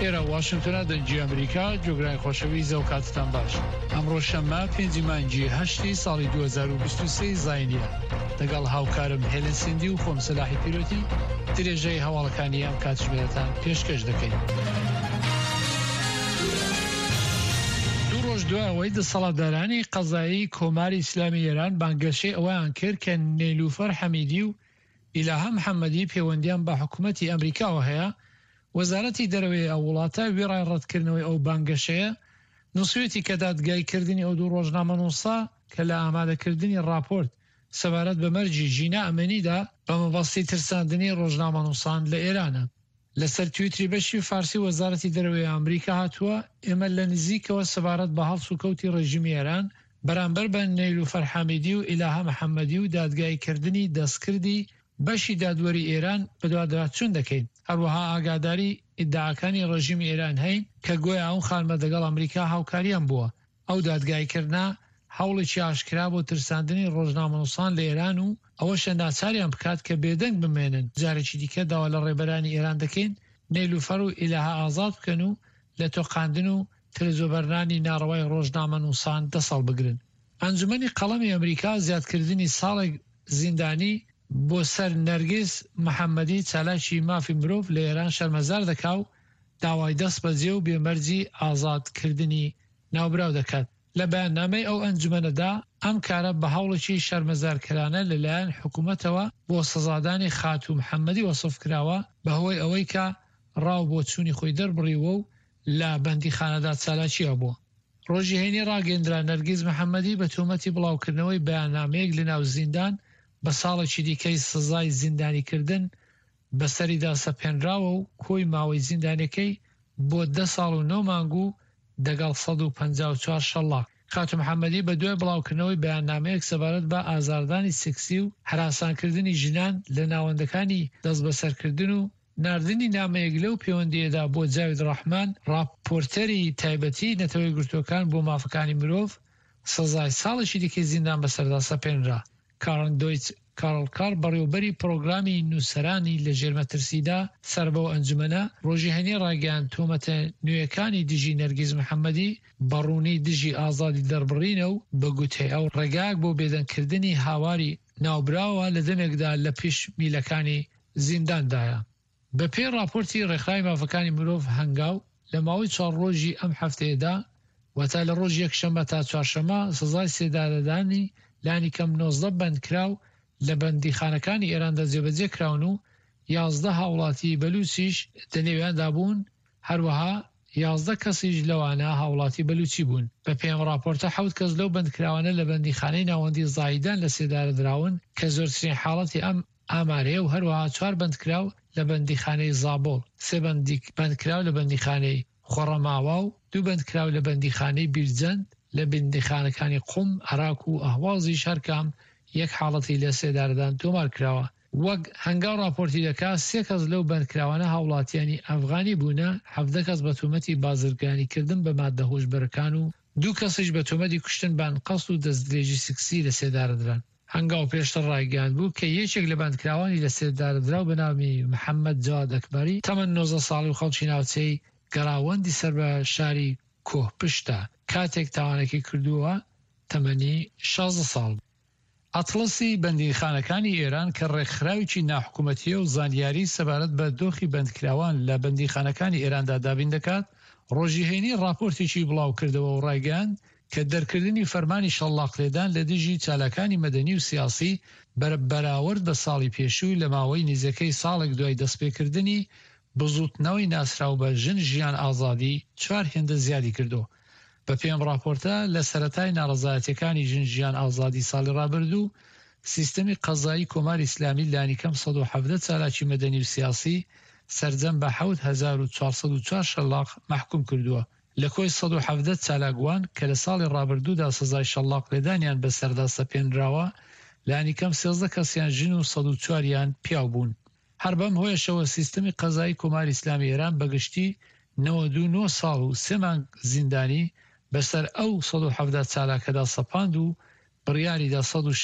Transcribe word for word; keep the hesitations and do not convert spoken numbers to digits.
ئێرە واشنتۆنە، دەنگی ئەمریکا. گوێگرانی خۆشەویست، ئەو کاتتان باش. ئەمڕۆ شەممە پێنجی مانگی هەشتی ساڵی دوو هەزار و بیست و سێ زاینیە. لەگەڵ هاوکارم هێلن سیندی و خۆم سەلاحی پیرۆتی درێژەی هەواڵەکانی ئەم کاتژمێرەتان پێشکەش دەکەین. دوو ڕۆژ دوای ئەوەی دەسەڵاتدارانی قەزایی کۆماری ئیسلامی ئێران بانگەشەی ئەوەیان کرد کە نێلوفەر حەمیدی و ئیلاهە محەممەدی پەیوەندیان بە حکوومەتی ئەمریکاوە هەیە، وەزارەتی دەرەوەی ئەو وڵاتە وێڕای ڕەتکردنەوەی ئەو بانگەشەیە نووسویەتی کە دادگایکردنی ئەو دوو ڕۆژنامەنووسە کە لە ئامادەکردنی ڕاپۆرت سەبارەت بە مەرگی ژینا ئەمینیدا بە مەبەستی ترساندنی ڕۆژنامەنووسان لە ئێرانە. لەسەر تویتری بەشی فارسی وەزارەتی دەرەوەی ئەمریکا هاتووە، ئێمە لە نزیکەوە سەبارەت بە هەڵسوکەوتی ڕێژیمی ئێران بەرامبەر بە نەیلوفەر حامیدی و ئیلاهە محەممەدی و دادگایکردنی دەستکردی بەشی دادوەری ئێران بەدواداچوون دەکەین. هەروەها ئاگاداری ئیدعاکانی ڕێژیمی ئێران هەین کە گۆیا ئەو خانمە دەگەڵ ئەمریکا هاوکاریان بووە. ئەو دادگایکردنە هەوڵێکی ئاشکرا بۆ ترساندنی ڕۆژنامەنووسان لە ئێران و ئەوەشە ناچاریان بکات کە بێدەنگ بمێنن. جارێکی دیکە داوا لە ڕێبەرانی ئێران دەکەین نەیلوفەر و ئیلاهە ئازاد بکەن و لە تۆقاندن و ترزۆبەرنانی ناڕەوای ڕۆژنامەنووسان دەسەڵ بگرن. ئەنجومەنی قەڵەمی ئەمریکا زیادکردنی ساڵێک زیندانی بۆ سەر نەرگس محەممەدی چالاکی مافی مرۆڤ لە ئێران شەرمەزار دەکا و داوای دەست بەجێ و بێمەرجی ئازادکردنی ناوبراو دەکات. لە بەیاننامەی ئەو ئەنجومەنەدا ئەم کارە بە هەوڵێکی شەرمەزارکەرانە لەلایەن حکوومەتەوە بۆ سەزادانی خاتوو محەممەدی وەسف کراوە بەهۆی ئەوەی کە ڕاو بۆ چوونی خۆی دەربڕیوە و لە بەندیخانەدا چالاکی هەبووە. ڕۆژی هەینی ڕاگەندرا نەرگیز محەممەدی بە تۆمەتی بڵاوکردنەوەی بەیاننامەیەک لەناو زیندان بە ساڵێکی دیکەی سزای زیندانیکردن بەسەریدا سەپێنراوە و کۆی ماوەی زیندانەکەی بۆ دە ساڵ و نۆ مانگ و دەگەڵ سەد و پەنجا و چوار شەڵاق. خاتوو محەممەدی بە دوای بڵاوکردنەوەی بەیاننامەیەک سەبارەت بە ئازاردانی سکسی و هەراسانکردنی ژنان لە ناوەندەکانی دەستبەسەرکردن و ناردنی نامەیەک لەو پەیوەندیەدا بۆ جاوید ڕەحمان، ڕاپۆرتەری تایبەتی نەتەوە یەکگرتووەکان بۆ مافەکانی مرۆڤ، سزای ساڵێکی دیکەی زیندان بەسەردا سەپێنرا. کارن دۆیچ کارڵ کار بەڕێوبەری پرۆگرامی نووسەرانی لە ژێرمەترسیدا سەر بەو ئەنجومەنە ڕۆژی هەینی ڕایگەیاند تۆمەتە نوێیەکانی دژی نەرگیز محەممەدی بەڕوونی دژی ئازادی دەربڕینە و بە گوتەی ئەو ڕێگایەک بۆ بێدەنگکردنی هاواری ناوبراوە لە دەمێکدا لە پیش میلەکانی زینداندایە. بە پێی ڕاپۆرتی ڕێکخراوی مافەکانی مرۆڤ هەنگاو لە ماوەی چوار ڕۆژی ئەم هەفتەیەدا، واتە لە ڕۆژی یەکشەممە تا چوارشەممە، سزای سێدارەدانی لانیکەم نۆزدە بەندکراو لە بەندیخانەکانی ئێراندا جێبەجێ کراون و یازدە هاوڵاتی بەلوچیش لەنێویاندا بوون، هەروەها یازدە کەسیش لەوانە هاوڵاتی بەلوچی بوون. بەپێی ئەم ڕاپۆرتە حەوت کەس لەو بەندکراوانە لە بەندیخانەی ناوەندی زاهیدان لە سێدارە دراون کە زۆرترین حاڵەتی ئەم ئامارەیە و هەروەها چوار بەندکراو لە بەندیخانەی زابۆڵ، سێ بەندکراو لە بەندیخانەی خۆڕەماوا و دوو بەندکراو لە بەندیخانەی بیرجەند، لە بەندیخانەکانی قوم، ئەراک و ئەهوازیش هەرکام یەک حاڵەتی لە سێدارەدان تۆمار کراوە. وەک هەنگاو ڕاپۆرتی دەکا سێ کەس لەو بەندکراوانە هاوڵاتیانی ئەفغانی بوونە، حەڤدە کەس بە تۆمەتی بازرگانیکردن بە مادە هۆشبەرەکان و دوو کەسیش بە تۆمەتی کوشتن بە ئەنقەست و دەستدرێژی سکسی لە سێدارەدران. هەنگاو پێشتر ڕایگەیاندبوو کە یەکێک لە بەندکراوانی لە سێدارەدراو بە ناوی محەممەد جەواد ئەکبەری تەمەن نۆزدە ساڵی و خەڵکی ناوچەی گەڕاوەندی سەر بە شاری کۆهپشتە، کاتێک تاوانەکەی کردووە تەمەنی شازدە ساڵ. ئەتڵەسی بەندیخانەکانی ئێران کە ڕێکخراوێکی ناحکومەتیە و زانیاری سەبارەت بە دۆخی بەندکراوان لە بەندیخانەکانی ئێراندا دابین دەکات، ڕۆژی هەینی ڕاپۆرتێکی بڵاوکردەوە و ڕایگەیاند کە دەرکردنی فەرمانی شەڵاقلێدان لە دژی چالاکانی مەدەنی و سیاسی بەراورد بە ساڵی پێشوو لە ماوەی نزیکەی ساڵێک دوای دەستپێکردنی بزووتنەوەی ناسراو بە ژن ژیان ئازادی چوار هێندە زیادی کردو. بە پێی ئەم ڕاپۆرتە لە سەرەتای ناڕەزایەتیەکانی ژن ژیان ئازادی ساڵی ڕابردوو سیستەمی قەزایی کۆماری ئیسلامی لانیکەم سەد و حەڤدە چالاکی مەدەنی و سیاسی سەرجەم بە حەوت هەزار و چوار سەد و چوار شەلاق مەحکوم کردووە. لە کۆی سەد و حەڤدە چالاکوان کە لە ساڵی ڕابردوودا سزای شەلاق لێدانیان بەسەردا سەپێنراوە، لانیکەم سێزدە کەسیان ژن و سەد و چواریان پیاو بوون. هەر بەم هۆیەشەوە سیستەمی قەزایی کۆماری ئیسلامی ئێران بەگشتی نەوەد و نۆ ساڵ و سێ مانگ زیندانی بەسەر ئەو سەد و حەڤدە چالاکەدا سەپاند و بڕیاریدا سەد و